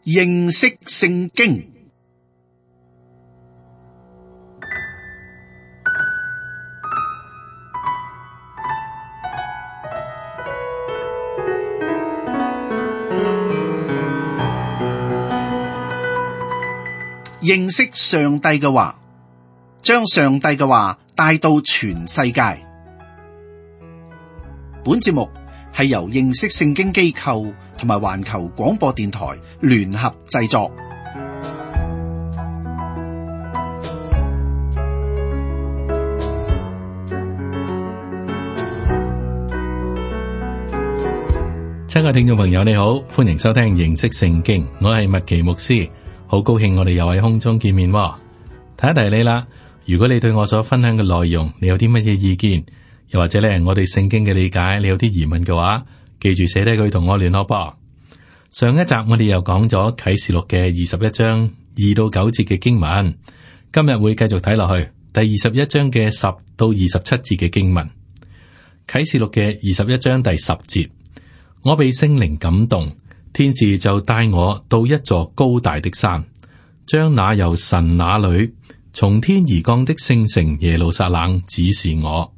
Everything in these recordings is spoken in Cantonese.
認識聖經。認識上帝嘅話，將上帝嘅話帶到全世界。本節目係由認識聖經機構同埋環球廣播電台聯合製作。親愛聽眾朋友，你好，歡迎收聽認識聖經，我係麥奇牧師。好高興我哋又喺空中見面喎。提一提你啦，如果你對我所分享嘅內容，你有啲乜嘢意見，又或者咧我對聖經嘅理解，你有啲疑問嘅話，記住寫低佢同我聯絡噃。上一集我哋又講咗啟示錄嘅21章2到9節嘅經文，今日會繼續睇落去第21章嘅10到27節嘅經文。啟示錄嘅21章第10節，我被聖靈感動，天使就帶我到一座高大的山，將那由神那裏從天而降的聖城耶路撒冷指示我。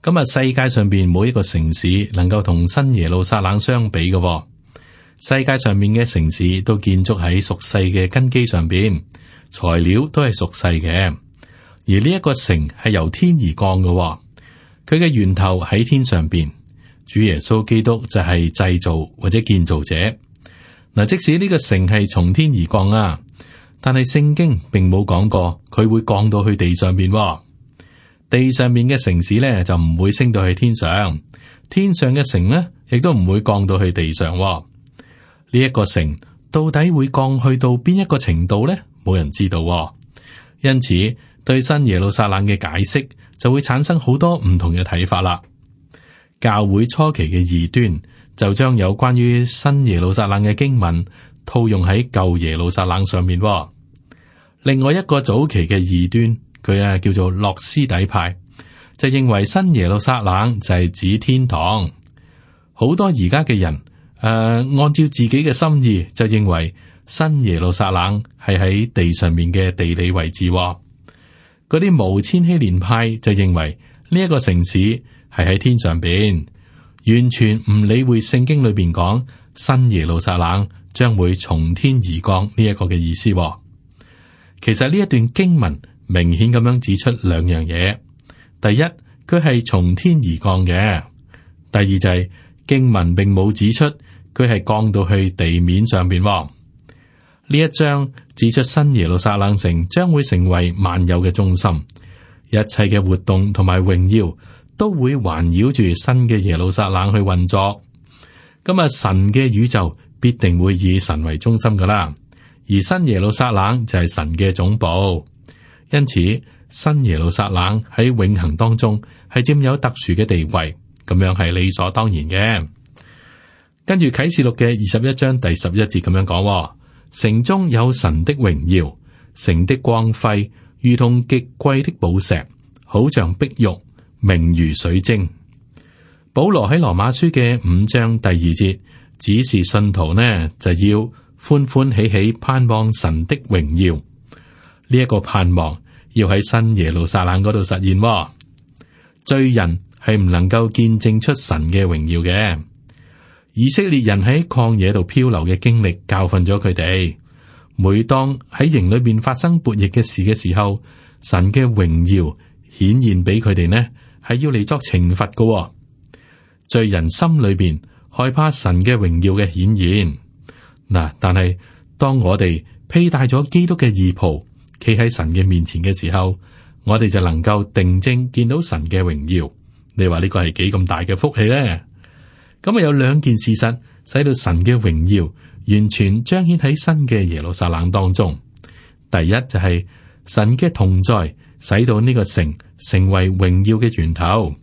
今日世界上邊每一個城市能夠同新耶路撒冷相比嘅喎，世界上面嘅城市都建築喺屬世嘅根基上邊，材料都係屬世嘅，而呢一個城係由天而降嘅喎，佢嘅源頭喺天上邊。主耶穌基督就係製造或者建造者。嗱，即使呢個城係從天而降啊，但係聖經並冇講過佢會降到去地上邊。地上面嘅城市咧就唔會升到去天上，天上嘅城呢亦都唔會降到去地上。呢一個城到底會降去到邊一個程度呢？冇人知道。因此，對新耶路撒冷嘅解釋就會產生好多唔同嘅睇法啦。教會初期嘅異端就將有關於新耶路撒冷嘅經文套用喺舊耶路撒冷上面。另外一個早期嘅異端，佢叫做諾斯底派，就認為新耶路撒冷就係指天堂。好多而家嘅人按照自己嘅心意就認為新耶路撒冷係喺地上面嘅地理位置。嗰啲無千禧年派就認為呢一個城市係喺天上邊，完全唔理會聖經裏邊講新耶路撒冷將會從天而降呢一個嘅意思。其實呢一段經文明顯咁樣指出兩樣嘢：第一，佢係從天而降嘅；第二就係經文並冇指出佢係降到去地面上邊。呢一章指出新耶路撒冷城將會成為萬有嘅中心，一切嘅活動同埋榮耀都會環繞住新嘅耶路撒冷去運作。咁啊，神嘅宇宙必定會以神為中心噶啦，而新耶路撒冷就係神嘅總部。因此，新耶路撒冷喺永恆當中係佔有特殊嘅地位，咁樣係理所當然嘅。跟住啟示錄嘅21章第11節咁樣講：城中有神的榮耀，城的光輝如同極貴的寶石，好像碧玉，明如水晶。保羅喺羅馬書嘅5章第2節指示信徒呢，就要歡歡喜喜盼望神的榮耀。呢一個盼望要喺新耶路撒冷嗰度實現。罪人係唔能夠見證出神嘅榮耀嘅。以色列人喺曠野度漂流嘅經歷教訓咗佢哋。每當喺營裏邊發生悖逆嘅事嘅時候，神嘅榮耀顯現俾佢哋呢，係要嚟作懲罰嘅。罪人心裏邊害怕神嘅榮耀嘅顯現。嗱，但係當我哋披戴咗基督嘅義袍，企喺神嘅面前嘅時候，我哋就能夠定睛見到神嘅榮耀。你話呢個係幾咁大嘅福氣呢？咁啊，有兩件事實使到神嘅榮耀完全彰顯喺新嘅耶路撒冷當中。第一就係神嘅同在，使到呢個城成為榮耀嘅源頭，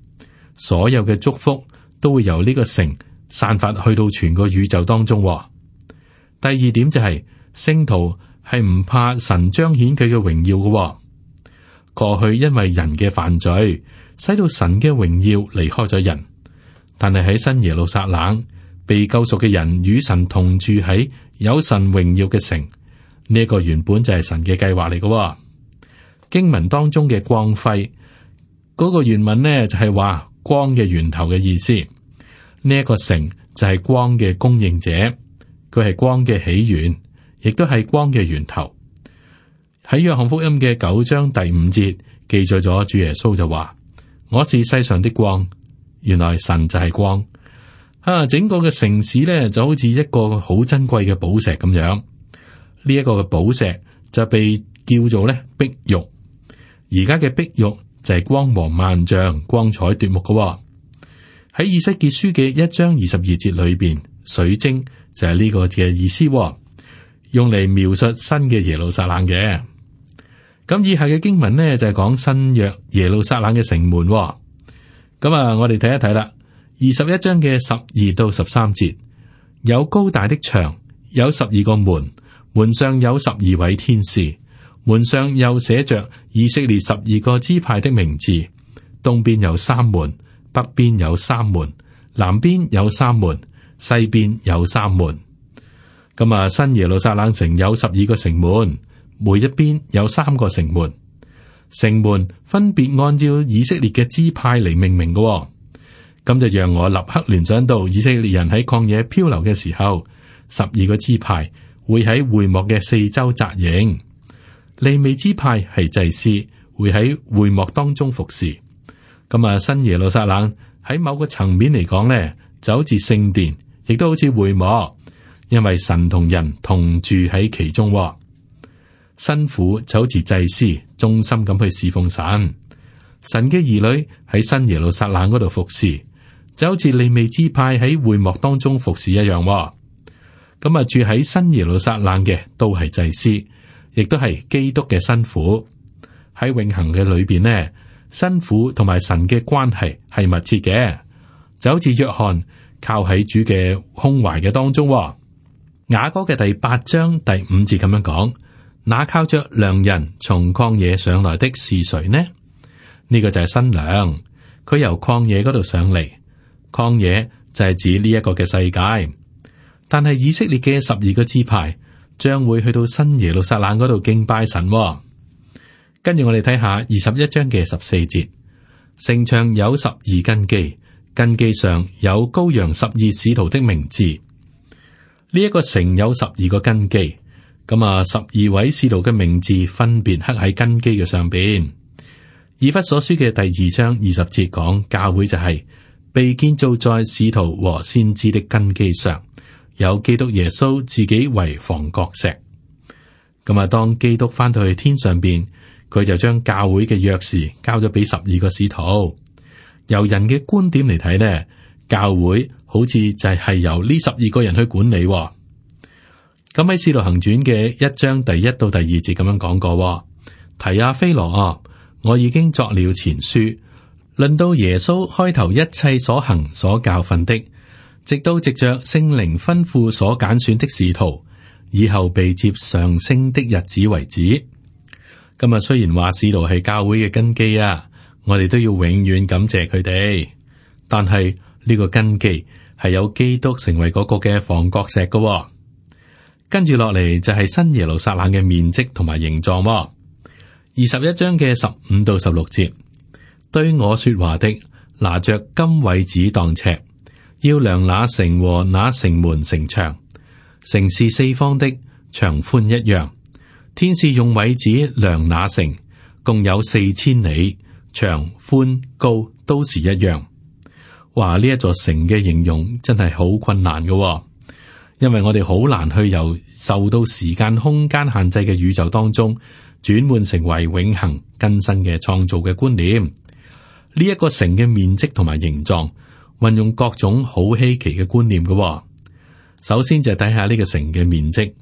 所有嘅祝福都會由呢個城散發去到全個宇宙當中。第二點就係聖徒係唔怕神彰顯佢嘅榮耀嘅。過去因為人嘅犯罪，使到神嘅榮耀離開咗人，但係喺新耶路撒冷，被救贖嘅人與神同住喺有神榮耀嘅城。呢一個原本就係神嘅計劃嚟嘅。經文當中嘅光輝嗰個原文呢，就係話光嘅源頭嘅意思。呢一個城就係光嘅供應者，佢係光嘅起源，亦都係光嘅源頭。喺約翰福音嘅9章第5節記載咗主耶穌就話：我是世上的光。原來神就係光。整個嘅城市呢，就好似一個好珍貴嘅寶石咁樣。呢一個嘅寶石就被叫做咧碧玉。而家嘅碧玉就係光芒萬丈、光彩奪目嘅。喺以西結書嘅1章22節裏邊，水晶就係呢個嘅意思，用嚟描述新嘅耶路撒冷嘅。咁以下嘅經文呢，就係講新約耶路撒冷嘅城門。咁我哋睇一睇啦。21章嘅12到13節，有高大的牆，有12個門，門上有12位天使，門上又寫着以色列12個支派的名字。東邊有3門，北邊有3門，南邊有3門，西邊有3門。咁新耶路撒冷城有12個城門，每一邊有3個城門。城門分別按照以色列嘅支派嚟命名嘅。咁就讓我立刻聯想到以色列人喺曠野漂流嘅時候，12個支派會喺會幕嘅四周紮營。利未支派係祭司，會喺會幕當中服侍。咁新耶路撒冷喺某個層面嚟講呢，就好似聖殿，亦都好似會幕，因為神同人同住喺其中。新婦就好似祭司，忠心咁去侍奉神。神嘅兒女喺新耶路撒冷嗰度服侍，就好似利未支派喺會幕當中服侍一樣。住喺新耶路撒冷嘅都係祭司，亦都係基督嘅新婦。喺永恆嘅裏邊呢，新婦同埋神嘅關係係密切嘅，就好似約翰靠喺主嘅胸懷嘅當中。雅歌嘅第8章第5節咁樣講：那靠着良人從曠野上來的是誰呢？呢個就係新娘，佢由曠野嗰度上嚟。曠野就係指呢一個嘅世界，但係以色列嘅12個支派將會去到新耶路撒冷嗰度敬拜神。跟住我哋睇下21章嘅14節，城牆有12根基，根基上有羔羊12使徒的名字。呢一個城有12個根基，咁12位使徒嘅名字分別刻喺根基嘅上邊。以弗所書嘅第2章20節講，教會就係被建造在使徒和先知的根基上，有基督耶穌自己為房角石。咁當基督翻到去天上邊，佢就將教會嘅鑰匙交咗俾12個使徒。由人嘅觀點嚟睇呢，教會好似就係由呢12個人去管理。咁喺使徒行傳嘅1章第1到第2節咁樣講過，提阿非羅啊，我已經作了前書，論到耶穌開頭一切所行所教訓的，直到藉着聖靈吩咐所揀選的使徒，以後被接上升的日子為止。今日雖然話使徒係教會嘅根基啊，我哋都要永遠感謝佢哋。但係呢個根基係有基督成為嗰個嘅房角石嘅。跟住落嚟就係新耶路撒冷嘅面積同埋形狀。21章嘅15到16節，對我說話的拿着金葦子當尺，要量那城和那城門城牆。城是四方的，長寬一樣。天使用葦子量那城，共有4000里，長寬高都是一樣。哇！呢一座城嘅形容真係好困難嘅，因為我哋好難去由受到時間空間限制嘅宇宙當中轉換成為永恆更新嘅創造嘅觀念。呢一個城嘅面積同埋形狀，運用各種好稀奇嘅觀念嘅。首先就睇下呢個城嘅面積，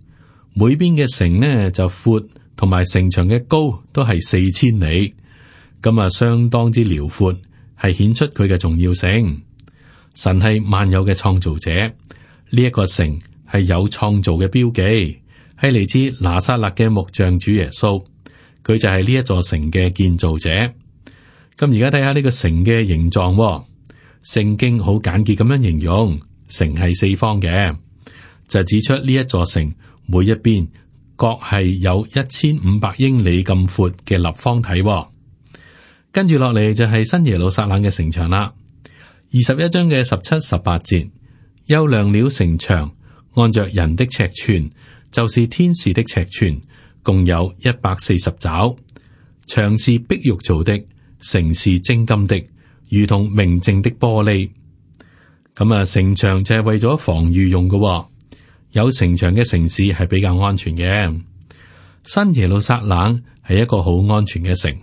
每邊嘅城呢就闊，同埋城牆嘅高都係4000里，咁相當之遼闊，係顯出佢嘅重要性。神係萬有嘅創造者，呢一個城係有創造嘅標記，係嚟自拿撒勒嘅木匠主耶穌，佢就係呢一座城嘅建造者。咁而家睇下呢個城嘅形狀，聖經好簡潔咁樣形容，城係四方嘅，就指出呢一座城每一邊各係有1500英里咁闊嘅立方體。跟住落嚟就係新耶路撒冷嘅城牆啦。21章嘅17、18節，又量了城牆，按着人的尺寸，就是天使的尺寸，共有140肘。牆是碧玉做的，城是精金的，如同明淨的玻璃。咁啊，城牆就係為咗防禦用嘅。有城牆嘅城市係比較安全嘅。新耶路撒冷係一個好安全嘅城，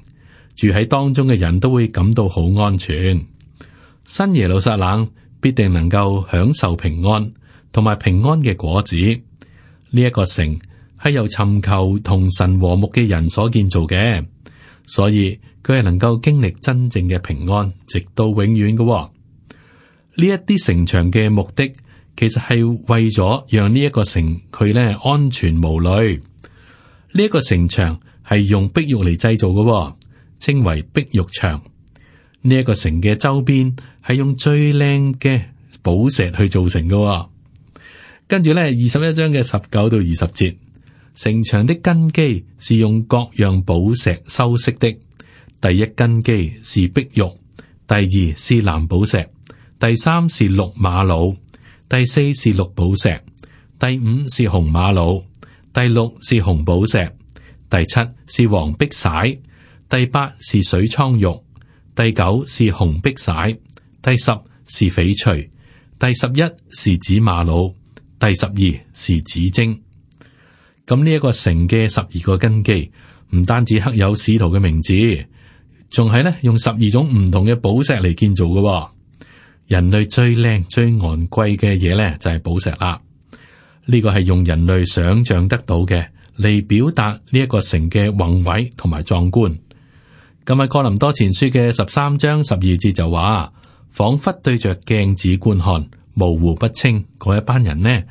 住喺當中嘅人都會感到好安全。新耶路撒冷必定能夠享受平安同埋平安嘅果子。呢一個城係由尋求同神和睦嘅人所建造嘅，所以佢係能夠經歷真正嘅平安，直到永遠嘅。呢一啲城牆嘅目的，其實係為咗讓呢一個城佢咧安全無慮。呢一個城牆係用碧玉嚟製造嘅，稱為碧玉牆。呢一個城嘅周邊係用最靚嘅寶石去造成嘅。跟住咧，21章嘅19到20節，城牆的根基是用各樣寶石修飾的。第一根基是碧玉，第二是藍寶石，第三是綠瑪瑙，第四是綠寶石，第五是紅瑪瑙，第六是紅寶石，第七是黃碧璽，第八是水蒼玉，第九是紅碧璽，第十是翡翠，第11是紫瑪瑙，第12是紫晶。咁呢一個城嘅12個根基，唔單止刻有使徒嘅名字，仲係咧用12種唔同嘅寶石嚟建造嘅。人類最靚最昂貴嘅嘢咧就係寶石啦。呢個係用人類想象得到嘅嚟表達呢一個城嘅宏偉同埋壯觀。咁喺哥林多前書嘅13章12節就話，仿佛對着鏡子觀看，模糊不清嗰一班人呢，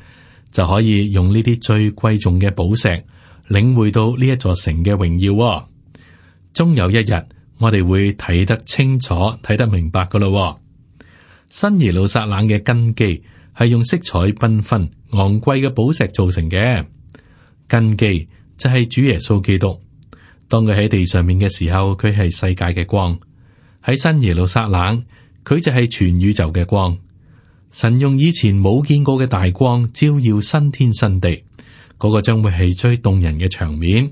就可以用呢啲最貴重嘅寶石領會到呢一座城嘅榮耀。終有一日，我哋會睇得清楚、睇得明白噶咯。新耶路撒冷嘅根基係用色彩繽紛、昂貴嘅寶石造成嘅。根基就係主耶穌基督。當佢喺地上面嘅時候，佢係世界嘅光；喺新耶路撒冷，佢就係全宇宙嘅光。神用以前冇見過嘅大光照耀新天新地，嗰個將會係最動人嘅場面。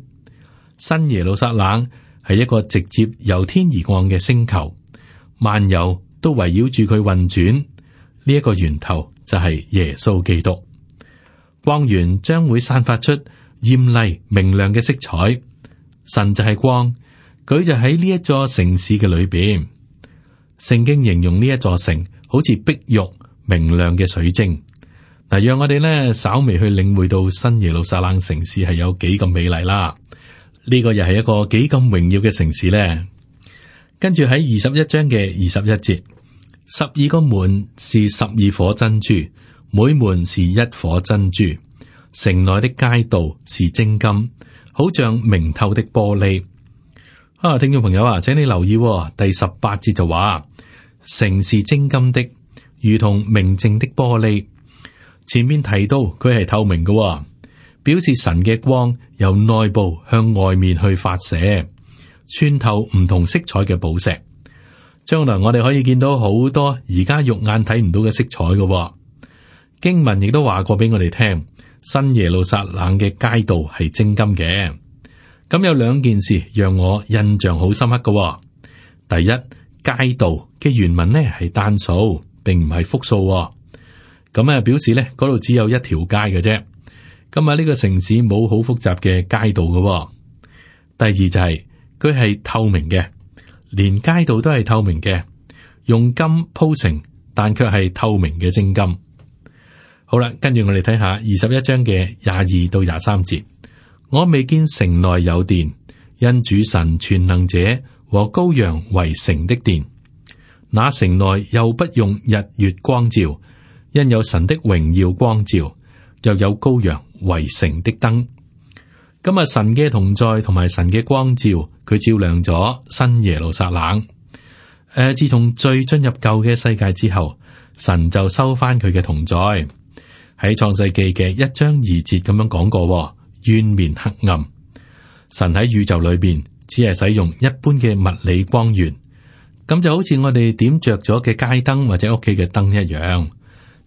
新耶路撒冷係一個直接由天而降嘅星球，萬有都圍繞住佢運轉。呢一個源頭就係耶穌基督。光源將會散發出艷麗明亮嘅色彩。神就係光，佢就喺呢一座城市嘅裏邊。聖經形容呢一座城好似碧玉明亮嘅水晶。嗱，讓我哋呢稍微去領會到新耶路撒冷城市係有幾咁美麗啦。呢個又係一個幾咁榮耀嘅城市呢。跟住喺21章嘅21節，12個門是12顆珍珠，每門是1顆珍珠。城內的街道是精金，好像明透的玻璃。聽眾朋友啊，請你留意第18節就話，城是精金的，如同明淨的玻璃。前面提到佢係透明嘅，表示神嘅光由內部向外面去發射，穿透唔同色彩嘅寶石。將來我哋可以見到好多而家肉眼睇唔到嘅色彩嘅。經文亦都話過俾我哋聽，新耶路撒冷嘅街道係精金嘅。咁有兩件事讓我印象好深刻嘅。第一，街道嘅原文呢係單數，並唔係複數。咁啊，表示呢嗰度只有一條街嘅啫。咁啊，呢個城市冇好複雜嘅街道嘅。第二就係佢係透明嘅，連街道都係透明嘅，用金鋪成，但卻係透明嘅精金。好啦，跟住我哋睇下21章嘅22到23節。我未見城內有殿，因主神全能者和羔羊為城的殿。那城內又不用日月光照，因有神的榮耀光照，又有羔羊為城的燈。咁啊，神嘅同在同埋神嘅光照，佢照亮咗新耶路撒冷。自從罪進入舊嘅世界之後，神就收翻佢嘅同在。喺創世記嘅1章2節咁樣講過，淵面黑暗。神喺宇宙裏邊只係使用一般嘅物理光源，咁就好似我哋點着咗嘅街燈或者屋企嘅燈一樣。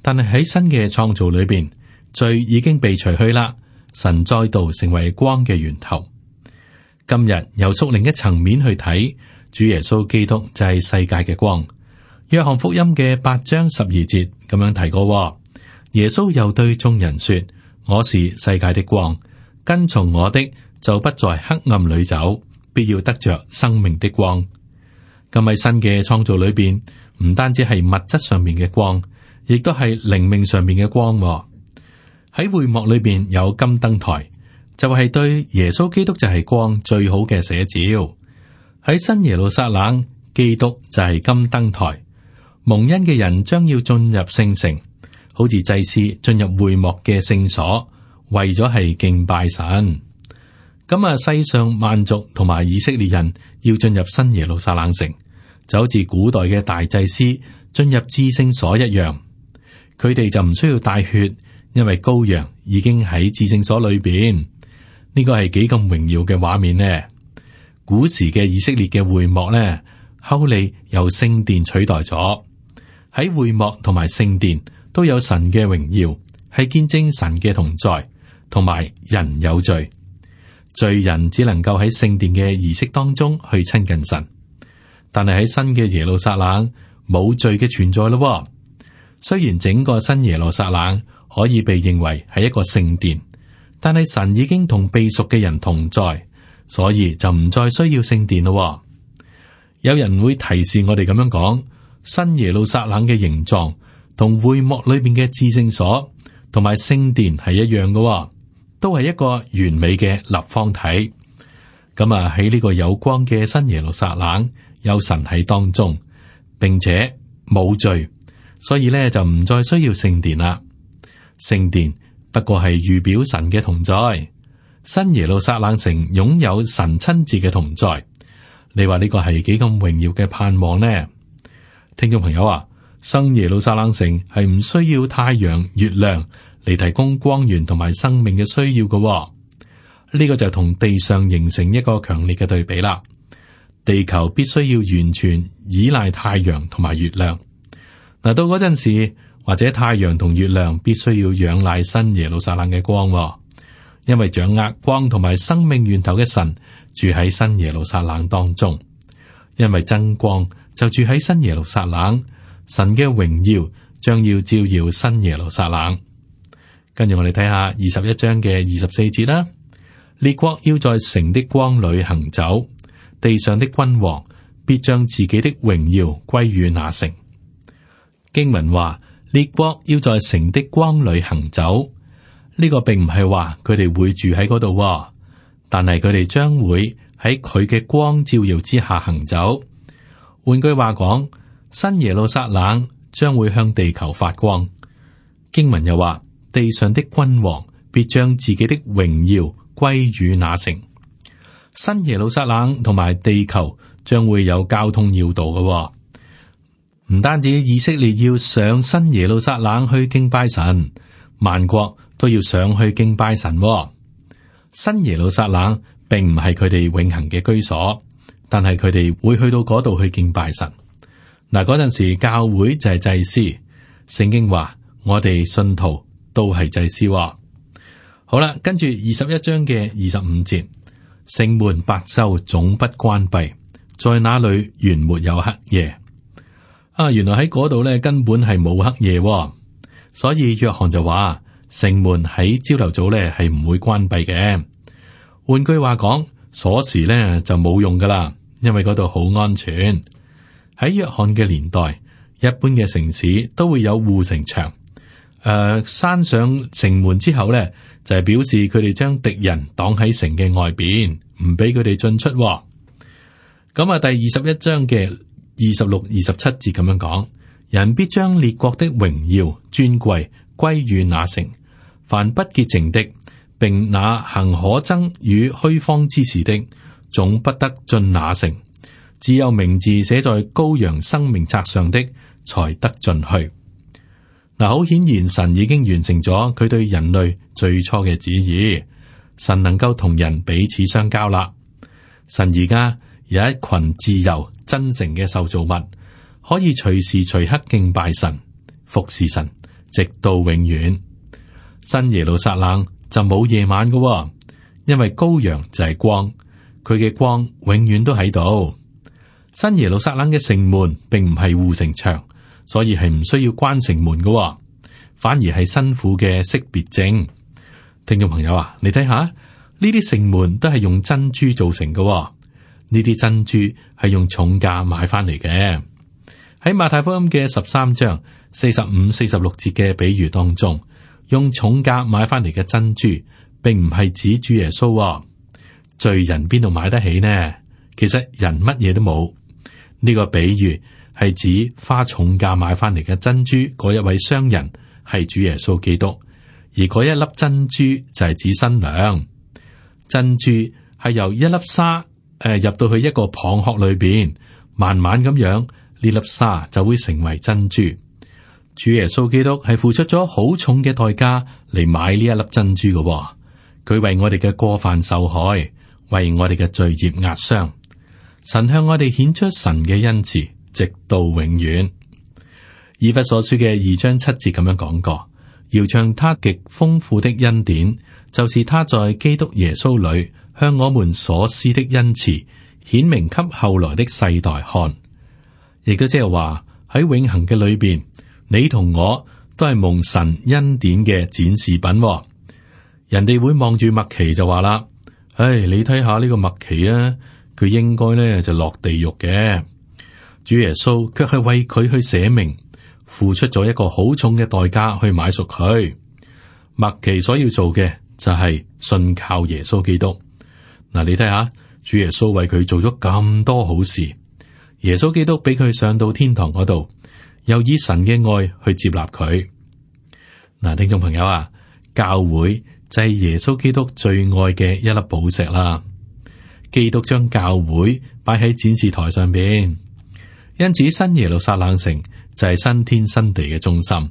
但係喺新嘅創造裏邊，罪已經被除去啦，神再度成為光嘅源頭。今日由屬另一層面去睇，主耶穌基督就係世界嘅光。約翰福音嘅8章12節咁樣提過，耶穌又對眾人說：我是世界的光，跟從我的就不在黑暗裏走，必要得着生命的光。咁喺新嘅創造裏邊，唔單止係物質上面嘅光，亦都係靈命上面嘅光。喺會幕裏邊有金燈台，就係對耶穌基督就係光最好嘅寫照。喺新耶路撒冷，基督就係金燈台。蒙恩嘅人將要進入聖城，好似祭司進入會幕嘅聖所，為咗係敬拜神。咁啊，世上萬族同埋以色列人要進入新耶路撒冷城，就好似古代嘅大祭司進入至聖所一樣。佢哋就唔需要帶血，因為羔羊已經喺至聖所裏邊。呢個係幾咁榮耀嘅畫面呢？古時嘅以色列嘅會幕呢，後嚟由聖殿取代咗。喺會幕同埋聖殿都有神嘅榮耀，係見證神嘅同在，同埋人有罪，罪人只能夠喺聖殿嘅儀式當中去親近神。但係喺新嘅耶路撒冷冇罪嘅存在咯。雖然整個新耶路撒冷可以被認為係一個聖殿，但係神已經同被贖嘅人同在，所以就唔再需要聖殿咯。有人會提示我哋咁樣講。新耶路撒冷嘅形狀同會幕裏邊嘅至聖所同埋聖殿係一樣嘅，都係一個完美嘅立方體。咁啊，喺呢個有光嘅新耶路撒冷，有神喺當中，並且冇罪，所以咧就唔再需要聖殿啦。聖殿不過係預表神嘅同在，新耶路撒冷城擁有神親自嘅同在。你話呢個係幾咁榮耀嘅盼望呢？聽眾朋友啊，新耶路撒冷城係唔需要太陽、月亮嚟提供光源同埋生命嘅需要嘅。呢個就同地上形成一個強烈嘅對比啦。地球必須要完全依賴太陽同埋月亮。嗱，到嗰陣時，或者太陽同月亮必須要仰賴新耶路撒冷嘅光，因為掌握光同埋生命源頭嘅神住喺新耶路撒冷當中，因為真光就住喺新耶路撒冷，神嘅榮耀將要照耀新耶路撒冷。跟住我哋睇下21章嘅24節啦。列國要在城的光裏行走，地上的君王必將自己的榮耀歸於那城。經文話列國要在城的光裏行走，呢個並唔係話佢哋會住喺嗰度，但係佢哋將會喺佢嘅光照耀之下行走。換句話講，新耶路撒冷將會向地球發光。經文又話，地上的君王必將自己的榮耀歸於那城。新耶路撒冷同埋地球將會有交通要道嘅，唔單止以色列要上新耶路撒冷去敬拜神，萬國都要上去敬拜神。新耶路撒冷並唔係佢哋永恆嘅居所。但係佢哋會去到嗰度去敬拜神。嗱，嗰陣時教會就係祭司。聖經話我哋信徒都係祭司。好啦，跟住21章嘅25節，城門白晝總不關閉，在那裏原沒有黑夜。原來喺嗰度咧根本係冇黑夜，所以約翰就話城門喺朝頭早咧係唔會關閉嘅。換句話講，鎖匙咧就冇用噶啦。因為嗰度好安全。喺約翰嘅年代，一般嘅城市都會有護城牆。閂上城門之後咧，就係表示佢哋將敵人擋喺城嘅外邊，唔俾佢哋進出。咁啊，第21章嘅26、27節咁樣講：人必將列國的榮耀尊貴歸於那城，凡不潔淨的，並那行可憎與虛謊之事的，總不得進那城，只有名字寫在羔羊生命冊上的才得進去。嗱，好顯然神已經完成咗佢對人類最初嘅旨意，神能夠同人彼此相交啦。神而家有一群自由真誠嘅受造物，可以隨時隨刻敬拜神、服侍神，直到永遠。新耶路撒冷就冇夜晚嘅，因為羔羊就係光，佢嘅光永遠都喺度。新耶路撒冷嘅城門並唔係護城牆，所以係唔需要關城門嘅，反而係辛苦嘅識別證。聽眾朋友啊，你睇下呢啲城門都係用珍珠做成嘅，呢啲珍珠係用重價買翻嚟嘅。喺馬太福音嘅13章45、46節嘅比喻當中，用重價買翻嚟嘅珍珠，並唔係指主耶穌。罪人邊度買得起呢？其實人乜嘢都冇。呢個比喻係指花重價買翻嚟嘅珍珠嗰一位商人係主耶穌基督，而嗰一粒珍珠就係指新娘。珍珠係由一粒沙入到去一個蚌殼裏邊，慢慢咁樣呢粒沙就會成為珍珠。主耶穌基督係付出咗好重嘅代價嚟買呢一粒珍珠嘅，佢為我哋嘅過犯受害，為我哋嘅罪孽壓傷。神向我哋顯出神嘅恩慈，直到永遠。以弗所書嘅2章7節咁樣講過，要將他極豐富的恩典，就是他在基督耶穌裏向我們所施的恩慈，顯明給後來的世代看。亦都即係話喺永恆嘅裏邊，你同我都係蒙神恩典嘅展示品。人哋會望住麥奇就話啦，你睇下呢個麥奇啊，佢應該咧就落地獄嘅。主耶穌卻係為佢去捨命，付出咗一個好重嘅代價去買贖佢。麥奇所要做嘅就係信靠耶穌基督。嗱，你睇下，主耶穌為佢做咗咁多好事，耶穌基督俾佢上到天堂嗰度，又以神嘅愛去接納佢。嗱，聽眾朋友啊，教會就係耶穌基督最愛嘅一粒寶石啦。基督將教會擺喺展示台上邊，因此新耶路撒冷城就係新天新地嘅中心。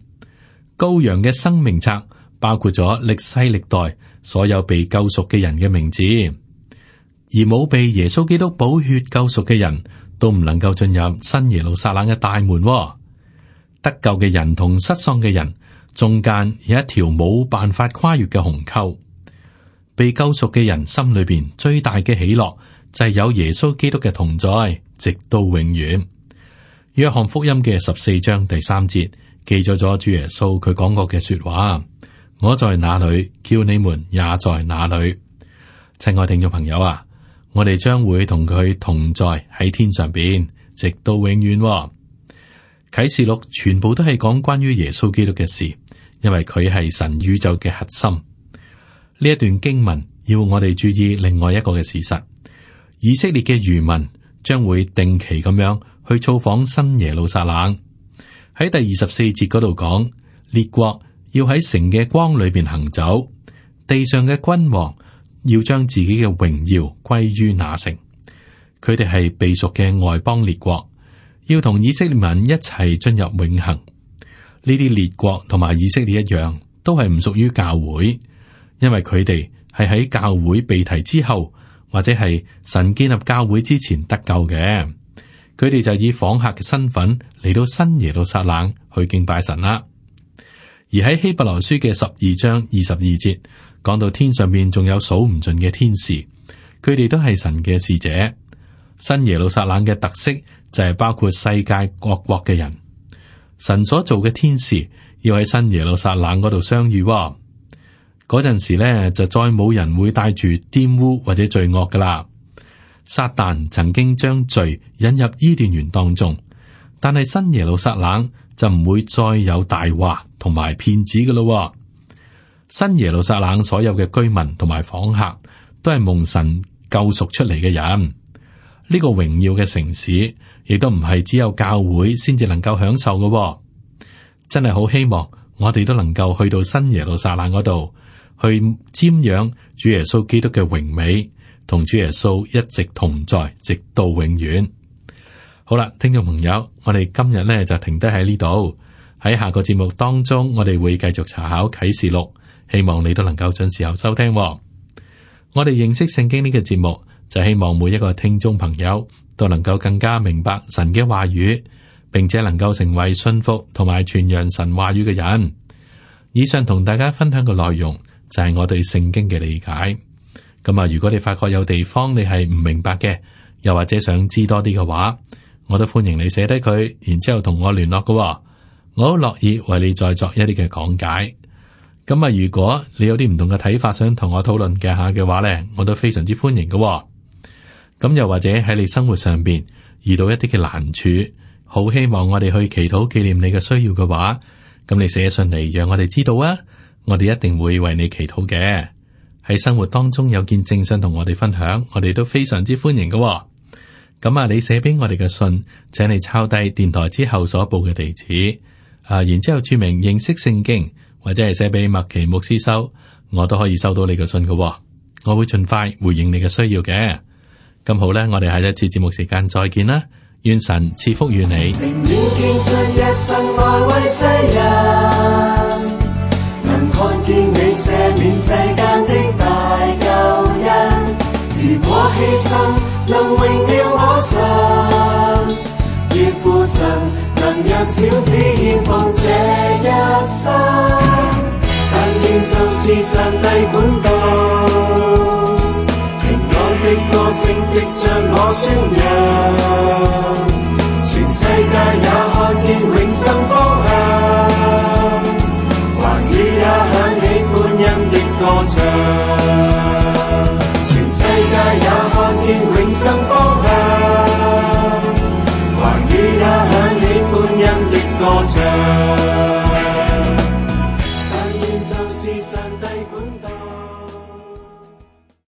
羔羊嘅生命冊包括咗歷世歷代所有被救贖嘅人嘅名字，而冇被耶穌基督寶血救贖嘅人都唔能夠進入新耶路撒冷嘅大門。得救嘅人同失喪嘅人中間有一條冇辦法跨越嘅鴻溝。被救贖嘅人心裏邊最大嘅喜樂就係有耶穌基督嘅同在，直到永遠。約翰福音嘅14章第3節記載咗主耶穌佢講過嘅說話：我在哪裏，叫你們也在哪裏。親愛聽眾朋友啊，我哋將會同佢同在喺天上邊，直到永遠。啟示錄全部都係講關於耶穌基督嘅事，因為佢係神宇宙嘅核心。呢一段經文要我哋注意另外一個嘅事實：以色列嘅餘民將會定期咁樣去造訪新耶路撒冷。喺第24節嗰度講，列國要喺城嘅光裏邊行走，地上嘅君王要將自己嘅榮耀歸於那城。佢哋係被贖嘅外邦列國，要同以色列民一齊進入永恆。呢啲列國同埋以色列一樣，都係唔屬於教會。因為佢哋係喺教會被提之後，或者係神建立教會之前得救嘅，佢哋就以訪客嘅身份嚟到新耶路撒冷去敬拜神啦。而喺希伯來書嘅12章22節講到天上面仲有數唔盡嘅天使，佢哋都係神嘅使者。新耶路撒冷嘅特色就係包括世界各國嘅人，神所做嘅天使要喺新耶路撒冷嗰度相遇。嗰陣時咧，就再冇人會帶住玷污或者罪惡噶啦。撒旦曾經將罪引入伊甸園當中，但係新耶路撒冷就唔會再有大話同埋騙子噶咯。新耶路撒冷所有嘅居民同埋訪客都係蒙神救贖出嚟嘅人。呢個榮耀嘅城市，亦都唔係只有教會先至能夠享受嘅。真係好希望我哋都能夠去到新耶路撒冷嗰度，去瞻仰主耶穌基督嘅榮美，同主耶穌一直同在，直到永遠。好啦，聽眾朋友，我哋今日咧就停低喺呢度。喺下個節目當中，我哋會繼續查考啟示錄，希望你都能夠準時候收聽。我哋認識聖經呢個節目，就希望每一個聽眾朋友都能夠更加明白神嘅話語，並且能夠成為信服同埋傳揚神話語嘅人。以上同大家分享嘅內容就係我對聖經嘅理解。咁啊，如果你發覺有地方你係唔明白嘅，又或者想知多啲嘅話，我都歡迎你寫低佢，然之後同我聯絡嘅。我好樂意為你再作一啲嘅講解。咁啊，如果你有啲唔同嘅睇法，想同我討論嘅話呢，我都非常之歡迎嘅。咁又或者喺你生活上邊遇到一啲嘅難處，好希望我哋去祈禱紀念你嘅需要嘅話，咁你寫信嚟讓我哋知道啊，我哋一定會為你祈禱嘅。喺生活當中有見證想同我哋分享，我哋都非常之歡迎嘅。咁啊，你寫俾我哋嘅信，請你抄低電台之後所報嘅地址，然之後注明認識聖經，或者係寫俾麥奇牧師收，我都可以收到你嘅信嘅。我會盡快回應你嘅需要嘅。咁好咧，我哋下一次節目時間再見啦，願神賜福與你。能看見你赦免世間的大救恩，如果犧牲能榮耀我神，願父神能讓小子獻奉這一生，但願就是上帝管道，平安的歌聲藉着我宣揚，全世界也看見永生方向，寰宇也響起歡欣的歌唱，全世界也看見永生方向，寰宇也響起歡欣的歌唱，但願就是上帝管道。